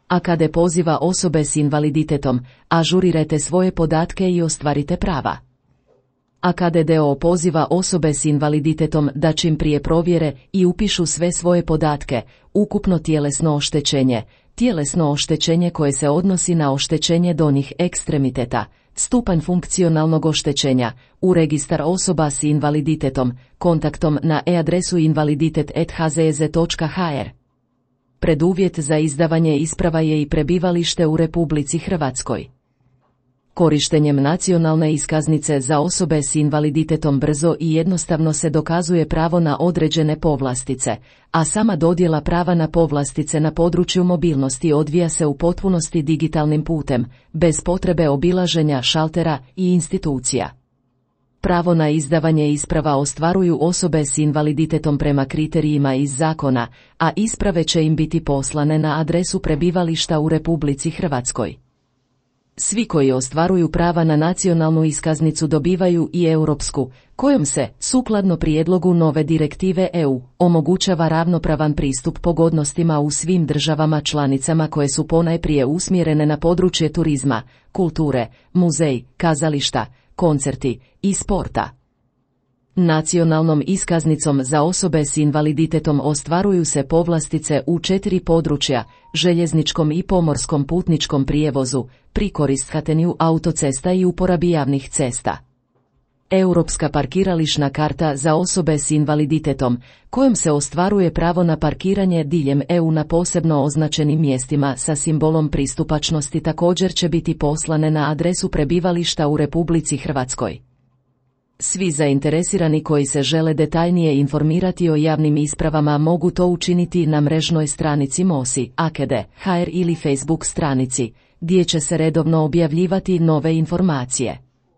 AKD poziva osobe s invaliditetom, ažurirajte svoje podatke i ostvarite prava. AKD-DO poziva osobe s invaliditetom da čim prije provjere i upišu sve svoje podatke, ukupno tjelesno oštećenje koje se odnosi na oštećenje donjih ekstremiteta, stupanj funkcionalnog oštećenja, u registar osoba s invaliditetom, kontaktom na e-adresu invaliditet@hzez.hr. Preduvjet za izdavanje isprava je i prebivalište u Republici Hrvatskoj. Korištenjem nacionalne iskaznice za osobe s invaliditetom brzo i jednostavno se dokazuje pravo na određene povlastice, a sama dodjela prava na povlastice na području mobilnosti odvija se u potpunosti digitalnim putem, bez potrebe obilaženja šaltera i institucija. Pravo na izdavanje isprava ostvaruju osobe s invaliditetom prema kriterijima iz zakona, a isprave će im biti poslane na adresu prebivališta u Republici Hrvatskoj. Svi koji ostvaruju prava na nacionalnu iskaznicu dobivaju i europsku, kojom se, sukladno prijedlogu nove direktive EU, omogućava ravnopravan pristup pogodnostima u svim državama članicama koje su ponajprije usmjerene na područje turizma, kulture, muzej, kazališta, koncerti i sporta. Nacionalnom iskaznicom za osobe s invaliditetom ostvaruju se povlastice u 4 područja: željezničkom i pomorskom putničkom prijevozu, pri korištenju autocesta i uporabi javnih cesta. Europska parkirališna karta za osobe s invaliditetom, kojom se ostvaruje pravo na parkiranje diljem EU na posebno označenim mjestima sa simbolom pristupačnosti, također će biti poslane na adresu prebivališta u Republici Hrvatskoj. Svi zainteresirani koji se žele detaljnije informirati o javnim ispravama mogu to učiniti na mrežnoj stranici MOSI AKD.hr ili Facebook stranici, gdje će se redovno objavljivati nove informacije.